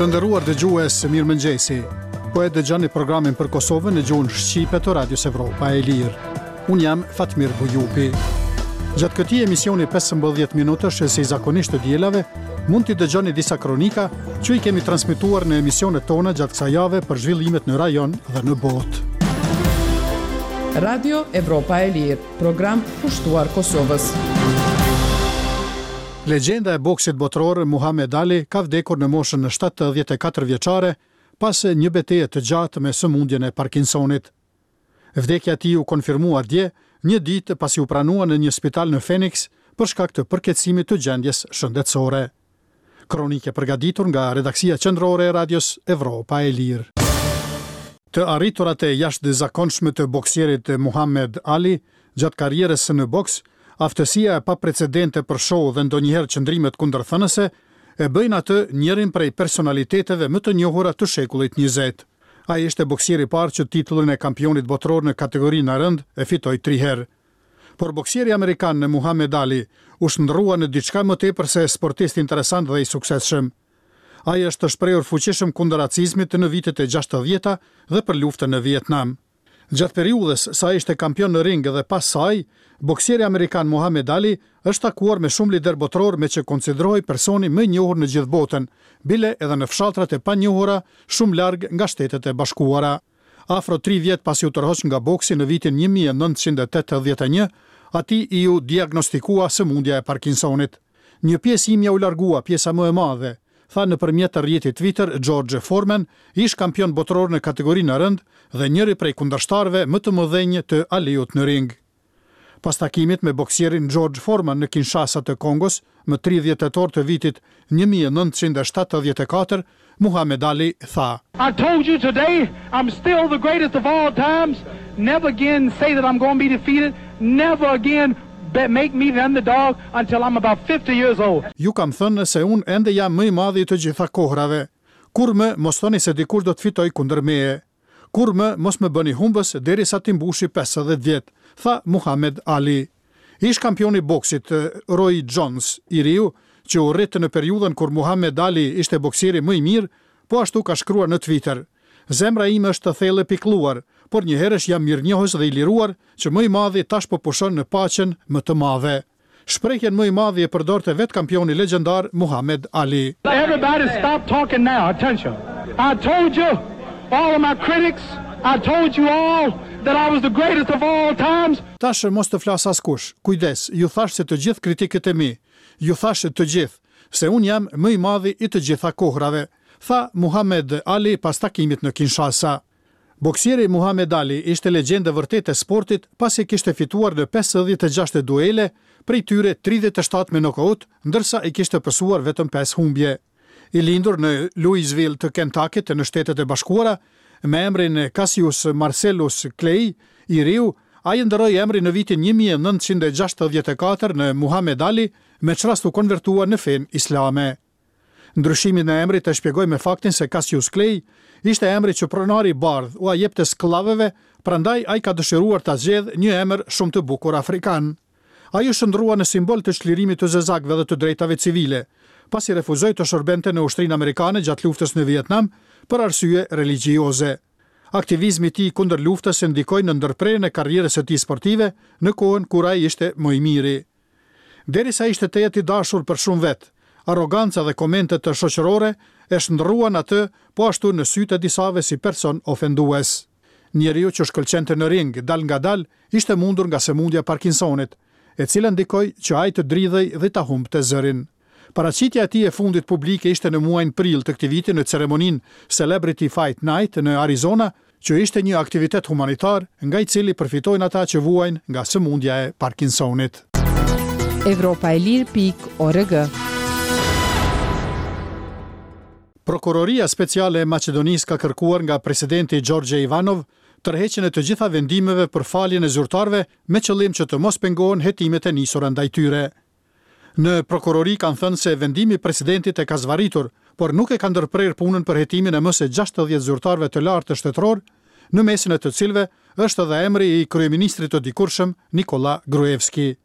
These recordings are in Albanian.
Të nderuar dëgjues, mirëmëngjesi. Po e dëgjoni programin për Kosovën në gjuhën shqipe të Radios Evropa e Lirë. Unë jam Fatmir Bujupi. Gjatë këtij emisioni 15 minutësh si zakonisht të dielave, mund t'i dëgjoni disa kronika që i kemi transmetuar në emisionet tona gjatë kësaj jave për zhvillimet në rajon dhe në botë. Radio Evropa e Lirë, program kushtuar Kosovës. Legjenda e boksit botëror Muhamed Ali ka vdekur në moshën 74 vjeçare pas një beteje të gjatë me sëmundjen e Parkinsonit. Vdekja e tij u konfirmua dje, një ditë pasi u pranua në një spital në Phoenix për shkak të përkeqësimit të gjendjes shëndetësore. Kronikë e përgatitur nga redaksia qendrore e Radios Evropa e Lirë. Të arriturat e jashtëzakonshme të boksierit Muhamed Ali gjatë karrierës në boks, aftësia e paprecedente për show dhe ndonjëherë qëndrimet kundërthënëse, e bëjnë atë njërin prej personaliteteve më të njohura të shekullit 20. Ai ishte boksieri i parë që titullin e kampionit botëror në kategorinë e rëndë e fitoi tri herë. Por boksieri amerikan Muhamed Ali u shndërrua në diçka më tepër se sportist interesant dhe i suksesshëm. Ai është shprehur fuqishëm kundër racizmit në vitet e 60-ta dhe për luftën në Vietnam. Gjatë periudhës sa ishte kampion në ring dhe pas saj, boksieri amerikan Muhamed Ali është takuar me shumë liderë botërorë me që konsiderohej personi më i njohur në gjithë botën, bile edhe në fshatrat e panjohura shumë larg nga Shtetet e Bashkuara. Afro 3 vjet pasi u tërhoq nga boksi në vitin 1981, atij iu diagnostikua sëmundja e Parkinsonit. Një pjesë imja u largua, pjesa më e madhe, tha nëpërmjet rrjetit Twitter George Foreman, ish kampion botëror në kategorinë e rëndë dhe njëri prej kundërshtarëve më të mëdhenj të Aliut në ring. Pas takimit me boksierin George Foreman në Kinshasa të Kongos, më 30 tetor të vitit 1974, Muhamed Ali tha: I told you today I'm still the greatest of all times. Never again say that I'm going to be defeated. Never again make me the underdog until I'm about 50 years old. Ju kam thënë se unë ende jam më i madhi i të gjitha kohrave. Kurrë më mos thoni se dikush do të fitojë kundër meje. Kurrë më mos më bëni humbës derisa t'i mbushi 50 vjet, tha Muhamed Ali. Ish kampioni i boksit Roy Jones, i riu, që u rrit në periudhën kur Muhamed Ali ishte boksieri më i mirë, po ashtu ka shkruar në Twitter: Zemra ime është thellë e pikëlluar, por njëherësh jam mirënjohës dhe i liruar që më i madhi tash po pushon në paqen më të madhe. Shprehjen më i madhi e përdorte vetë kampioni legjendar Muhamed Ali. Everybody stop talking now. Attention. I told you, all of my critics, I told you all that I was the greatest of all times. Tash mos të flasë askush. Kujdes, ju thash se të gjithë kritikët e mi, ju thash të gjithë, se unë jam më i madhi i të gjitha kohrave, tha Muhamed Ali pas takimit në Kinshasa. Boksieri Muhamed Ali ishte legjendë e vërtetë e sportit pasi kishte fituar në 56 duele, prej tyre 37 me nokaut, ndërsa i kishte pësuar vetëm 5 humbje. I lindur në Louisville të Kentucky-t në Shtetet e Bashkuara, me emrin Cassius Marcellus Clay, i riu, ai ndërroi emrin në vitin 1964 në Muhamed Ali, me ç'rast u konvertua në fenë islame. Ndryshimin e emrit e shpjegoi me faktin se Cassius Clay ishte emri që pronari i bardhë ua jepte skllavëve, prandaj ai ka dëshiruar ta zgjedhë një emër shumë të bukur afrikan. Ai u shndërrua në simbol të çlirimit të zezakëve dhe të drejtave civile, pasi refuzoi të shërbente në ushtrinë amerikane gjatë luftës në Vietnam për arsye religjioze. Aktivizmi i tij kundër luftës ndikoi në ndërprerjen e karrierës së tij sportive në kohën kur ai ishte më i miri. Derisa ishte tejet i dashur për shumë vet, arroganca dhe komentet shoqërore e shndërruan atë po ashtu në sytë e disave si person ofendues. Njeriu që shkëlqente në ring dalngadalë ishte mundur nga sëmundja e Parkinsonit, e cila ndikoi që ai të dridhej dhe ta humbte zërin. Paraqitja e tij e fundit publike ishte në muajin prill të këtij viti në ceremoninë Celebrity Fight Night në Arizona, që ishte një aktivitet humanitar nga i cili përfitojnë ata që vuajnë nga sëmundja e Parkinsonit. Evropa e lirë pikë org. Prokuroria Speciale e Maqedonisë ka kërkuar nga presidenti Gjorgje Ivanov tërheqjen e të gjitha vendimeve për faljen e zyrtarëve me qëllim që të mos pengohen hetimet e nisura ndaj tyre. Në prokurori kanë thënë se vendimi i presidentit e ka zvarritur, por nuk e ka ndërprerë punën për hetimin e më se 60 zyrtarëve të lartë shtetëror, në mesin e të cilëve është edhe emri i kryeministrit të dikurshëm Nikola Gruevski.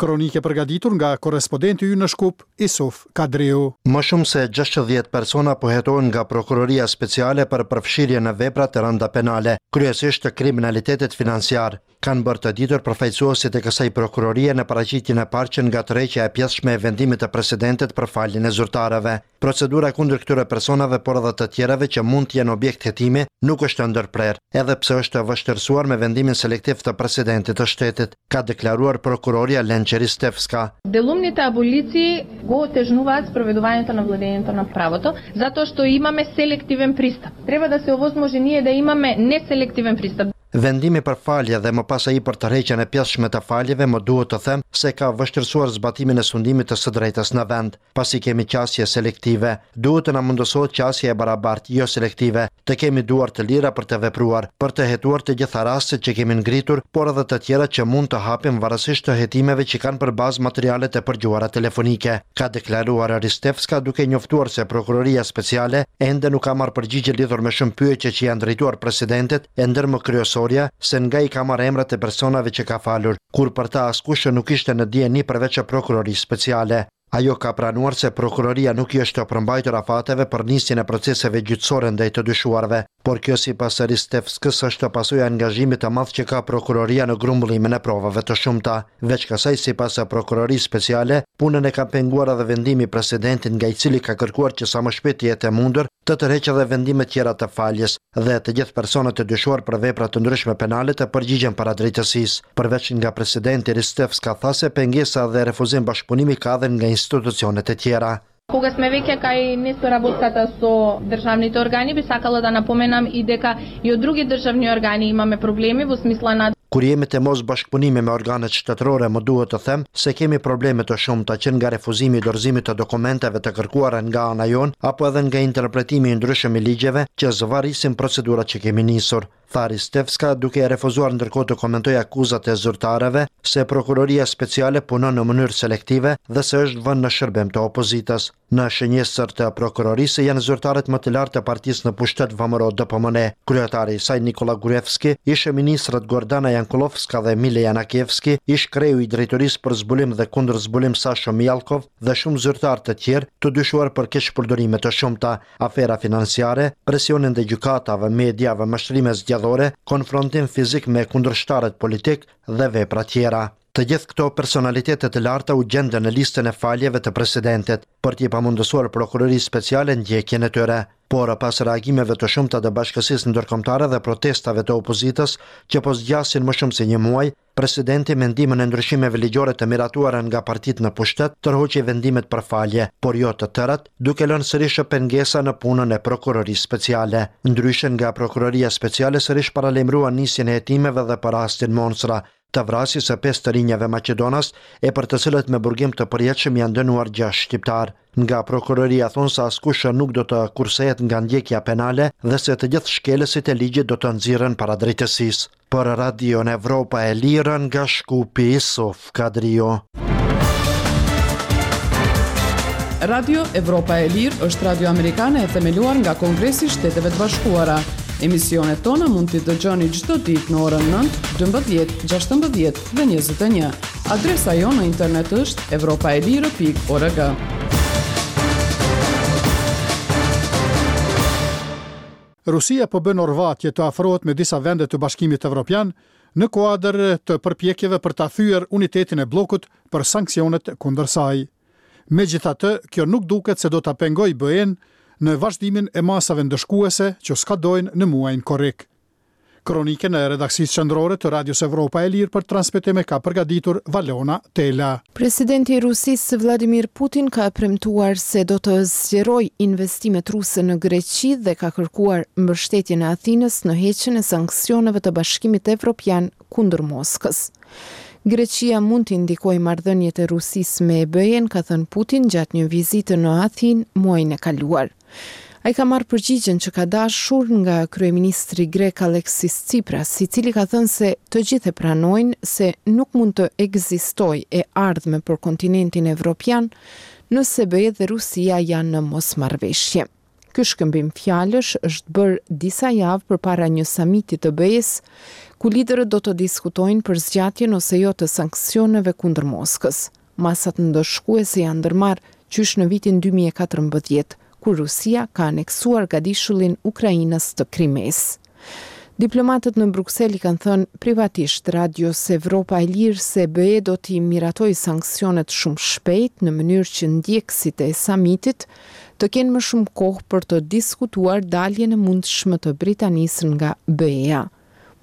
Kronikë e përgatitur nga korrespodenti ynë në Shkup, Isuf Kadriu. Më shumë se 60 persona po hetohen nga Prokuroria Speciale për përfshirje në vepra të rënda penale, kryesisht të kriminalitetit financiar, kanë bërë të ditur përfaqësuesit e kësaj prokurorie në paraqitjen e parë që nga tërheqja e pjesshme e vendimit të presidentit për faljen e zyrtarëve. Procedura kundër këtyre personave por edhe të tjerëve që mund të jenë objekt hetimi nuk është e ndërprerë, edhe pse është vështirësuar me vendimin selektiv të presidentit të shtetit, ka deklaruar prokurorja Lençe Ristevska. Делумните аболиции го отежнуваат спроведувањето на владењето на правото, затоа што имаме селективен пристап. Треба да се овозможи ние да имаме неселективен пристап. Vendimi për falje dhe më pas ai për tërheqjen e pjesshme të faljeve më duhet të them se ka vështirësuar zbatimin e sundimit të së drejtës në vend, pasi kemi qasje selektive. Duhet të na mundësohet qasje e barabartë, jo selektive, të kemi duar të lira për të vepruar, për të hetuar të gjitha rastet që kemi ngritur, por edhe të tjera që mund të hapim varësisht të hetimeve që kanë për bazë materialet e përgjuara telefonike, ka deklaruar Ristevska duke njoftuar se Prokuroria Speciale ende nuk ka marrë përgjigje lidhur me shumë pyetje që janë drejtuar presidentit, e ndër më kryesorja, se nga i ka marrë emrat e personave që ka falur, kur për ta askush nuk ishte në dijeni përveç Prokurorisë Speciale. Ajo ka pranuar se prokuroria nuk i është përmbajtur afateve për nisjen e proceseve gjyqësore ndaj të dyshuarve, por kjo sipas Ristevskës është pasojë e angazhimit të madh që ka prokuroria në grumbullimin e provave të shumta. Veç kësaj, sipas Prokurorisë Speciale, punën e ka penguar edhe vendimi i presidentit nga i cili ka kërkuar që sa më shpejt të jetë e mundur të tërheqë edhe vendimet tjera të faljes dhe të gjithë personat e dyshuar për vepra të ndryshme penale të përgjigjen para drejtësisë. Përveç nga presidenti, Ristevska tha se pengesa dhe refuzim bashkëpunimi ka edhe nga institucionet e tjera. Кога сме веќе кај несоработката со државните органи, би сакала да напоменам и дека и од други државни органи имаме проблеми во смисла на Kur jemi te mosbashkëpunimi me organet shtetërore më duhet të them se kemi probleme të shumta që nga refuzimi i dorëzimit të dokumenteve të kërkuara nga ana jonë apo edhe nga interpretimi i ndryshëm i ligjeve që zvarrisin procedurat që kemi nisur, tha Ristevska duke e refuzuar ndërkohë të komentojë akuzat e zyrtarëve se Prokuroria Speciale punon në mënyrë selektive dhe se është vënë në shërbim të opozitës. Në shënjestër të prokurorisë janë zyrtarët më të lartë të partisë në pushtet VMRO-DPMNE, kryetari i saj Nikolla Gruevski, ish-ministrat Gordana Jankullovska dhe Mile Janakievski, ish-kreu i Drejtorisë për Zbulim dhe Kundërzbulim Sasho Mijallkov dhe shumë zyrtarë të tjerë të dyshuar për keqpërdorime të shumta, afera financiare, presione ndaj gjykatave, mediave, mashtrime zgjedhore, konfrontim fizik me kundërshtarët politikë dhe vepra tjera. Të gjithë këto personalitete të larta u gjendën në listën e faljeve të presidentit, për t'i pamundësuar Prokurorisë Speciale ndjekjen e tyre. Por, pas reagimeve të shumta të bashkësisë ndërkombëtare dhe protestave të opozitës, që po zgjasin më shumë se një muaj, presidenti me ndihmën e ndryshimeve ligjore të miratuara nga partitë në pushtet, tërhoqi vendimet për falje, por jo të tërat, duke lënë sërish pengesa në punën e Prokurorisë Speciale. Ndryshe nga Prokuroria Speciale sërish paralajmëruan nisjen e hetimeve dhe për rastin Monstra, të vrasjes së pesë të rinjave maqedonas e për të cilët me burgim të përjetshëm janë dënuar gjashtë shqiptarë. Nga prokuroria thonë se askush nuk do të kursehet nga ndjekja penale dhe se të gjithë shkelësit e ligjit do të nxirren para drejtësisë. Për Radion Evropa e Lirë nga Shkupi, Isuf Kadriu. Radio Evropa e Lirë është radio amerikane e themeluar nga Kongresi i Shteteve të Bashkuara. Emisionet tona mund t'i dëgjoni çdo ditë në orën 9, 12, 16 dhe 21. Adresa jonë në internet është evropaelire.org. Rusia po bën orvatje të afrohet me disa vende të Bashkimit Evropian në kuadër të përpjekjeve për ta thyer unitetin e bllokut për sanksionet kundër saj. Megjithatë, kjo nuk duket se do ta pengojë BE-në në vazhdimin e masave ndëshkuese që skadojnë në muajin korrik. Kronikën e redaksisë qendrore të Radios Evropa e Lirë për transmetim e ka përgatitur Valona Tela. Presidenti i Rusisë, Vladimir Putin ka premtuar se do të zgjerojë investimet ruse në Greqi dhe ka kërkuar mbështetjen e Athinës në heqjen e sanksioneve të Bashkimit Evropian kundër Moskës. Greqia mund t'i ndikojë marrëdhëniet e Rusisë me BE-në, ka thënë Putin gjatë një vizite në Athinë muajin e kaluar. Ai ka marrë përgjigjen që ka dashur nga kryeministri grek Aleksis Tsipras, i cili ka thënë se të gjithë e pranojnë se nuk mund të ekzistojë e ardhme për kontinentin evropian nëse BE dhe Rusia janë në mosmarrëveshje. Ky shkëmbim fjalësh është bërë disa javë përpara një samiti të BE-së, ku liderët do të diskutojnë për zgjatjen ose jo të sanksioneve kundër Moskës. Masat ndëshkuese janë ndërmarrë qysh në vitin 2014, kur Rusia ka aneksuar gadishullin ukrainas të Krimesë. Diplomatët në Bruksel i kanë thënë privatisht Radios Evropa e Lirë se BE do t'i miratojë sanksionet shumë shpejt në mënyrë që ndjekësit e samitit të kenë më shumë kohë për të diskutuar daljen e mundshme të Britanisë nga BE-ja.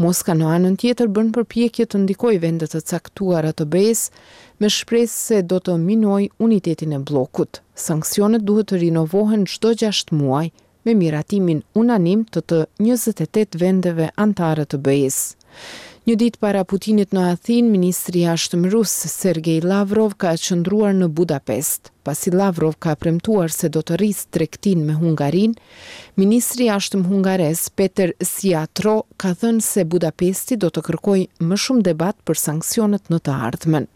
Moska në anën tjetër bën përpjekje të ndikojë vende të caktuara të BE-së me shpresë se do të minojë unitetin e bllokut. Sanksionet duhet të rinovohen çdo gjashtë muaj, me miratimin unanim të të 28 vendeve anëtare të BE-së. Një ditë para Putinit në Athinë, ministri i Jashtëm rus, Sergei Lavrov ka qëndruar në Budapest. Pasi Lavrov ka premtuar se do të rrisë tregtinë me Hungarinë, ministri i Jashtëm hungarez, Peter Szijjarto, ka thënë se Budapesti do të kërkojë më shumë debat për sanksionet në të ardhmen.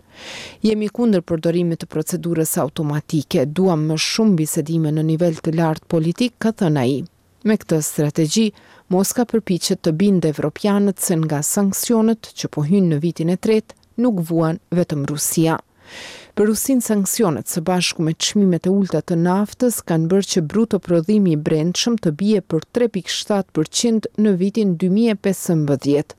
Jemi kundër përdorimit të procedurës automatike, duam më shumë bisedime në nivel të lartë politik, ka thënë ai. Me këtë strategji, Moska përpiqet të bindë evropianët se nga sanksionet që po hyjnë në vitin e tretë, nuk vuan vetëm Rusia. Për Rusinë sanksionet së bashku me çmimet e ulëta të naftës kanë bërë që bruto prodhimi i brendshëm të bie për 3.7 për qind në vitin 2015.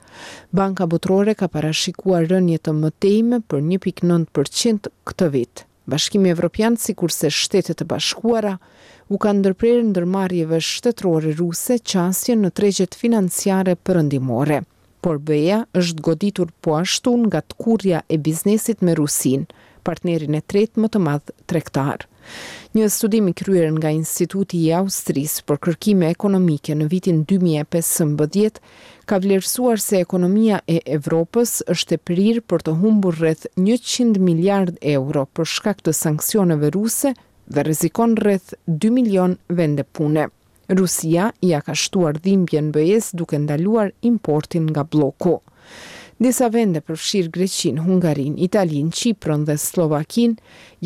Banka Botërore ka parashikuar rënie të mëtejme për 1.9 për qind këtë vit. Bashkimi Evropian sikurse Shtetet e Bashkuara u kanë ndërprerë ndërmarrjeve shtetërore ruse qasjen në tregjet financiare perëndimore. Por BE-ja është goditur po ashtu nga tkurrja e biznesit me Rusinë, partnerin e tretë më të madh tregtar. Një studim i kryer nga Instituti i Austrisë për Kërkime Ekonomike në vitin 2015 ka vlerësuar se ekonomia e Evropës është e prirë për të humbur rreth 100 miliardë euro për shkak të sanksioneve ruse dhe rrezikon rreth 2 milion vende pune. Rusia ia ka shtuar dhimbjen BE-së duke ndaluar importin nga blloku. Disa vende, përfshirë Greqinë, Hungarinë, Italinë, Qipron dhe Sllovakinë,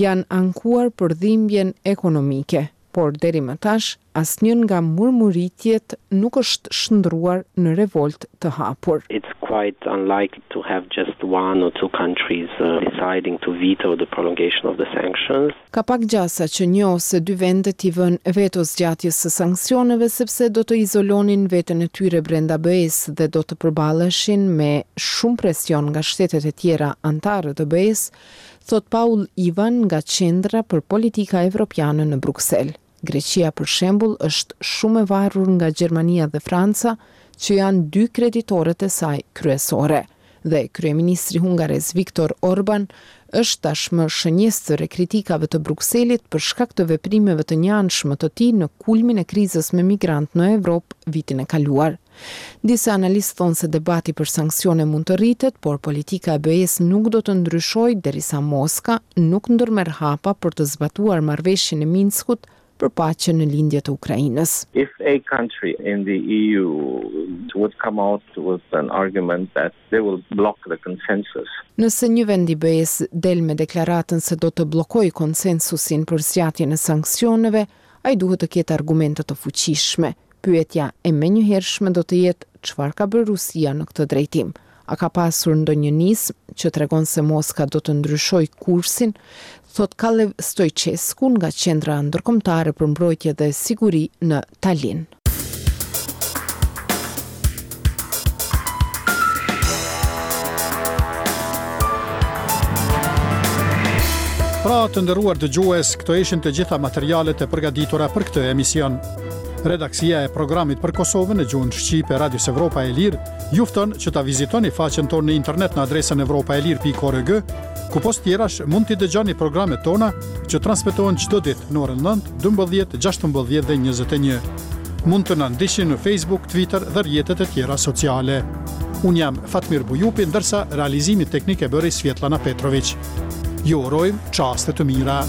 janë ankuar për dhimbjen ekonomike, por deri më tash asnjë nga murmuritjet nuk është shndërruar në revoltë të hapur. It's quite unlikely to have just one or two countries deciding to veto the prolongation of the sanctions. Ka pak gjasa që një ose dy vende t'i vënë veto zgjatjes së sanksioneve sepse do të izolonin veten e tyre brenda BE-së dhe do të përballeshin me shumë presion nga shtetet e tjera anëtare të BE-së, thotë Paul Ivan nga Qendra për Politika Evropiane në Bruksel. Greqia për shembull është shumë e varur nga Gjermania dhe Franca, që janë dy kreditorët e saj kryesore. Dhe kryeministri hungarez Viktor Orban është tashmë shënjestër e kritikave të Brukselit për shkak të veprimeve të njëanshme të tij në kulmin e krizës me migrantë në Evropë vitin e kaluar. Disa analistë thonë se debati për sanksione mund të rritet, por politika e BE-së nuk do të ndryshojë derisa Moska nuk ndërmerr hapa për të zbatuar marrëveshjen e Minskut për paqen në lindje të Ukrainës. If a country in the EU would come out with an argument that they will block the consensus. Nëse një vend i BE-së del me deklaratën se do të bllokojë konsensusin për zgjatjen e sanksioneve, ai duhet të ketë argumente të fuqishme. Pyetja e menjëhershme do të jetë çfarë ka bërë Rusia në këtë drejtim. A ka pasur ndonjë nismë që tregon se Moska do të ndryshojë kursin, thotë Kalev Stoichescu nga Qendra Ndërkombëtare për Mbrojtje dhe Siguri në Talin. Pra, të nderuar dëgjues, këto ishin të gjitha materialet e përgatitura për këtë emision. Redaksia e programit për Kosovën në gjuhën shqipe Radios Evropa e Lirë ju fton që ta vizitoni faqen tonë në internet në adresën evropaelire.org, ku pos tjerash mund t'i dëgjoni programet tona që transmetohen çdo ditë në orën 9, 12, 16 dhe 21. Mund të na ndiqni në Facebook, Twitter dhe rrjetet e tjera sociale. Unë jam Fatmir Bujupi, ndërsa realizimin teknik e bëri Svjetlana Petrovic. Ju urojmë çaste të mira.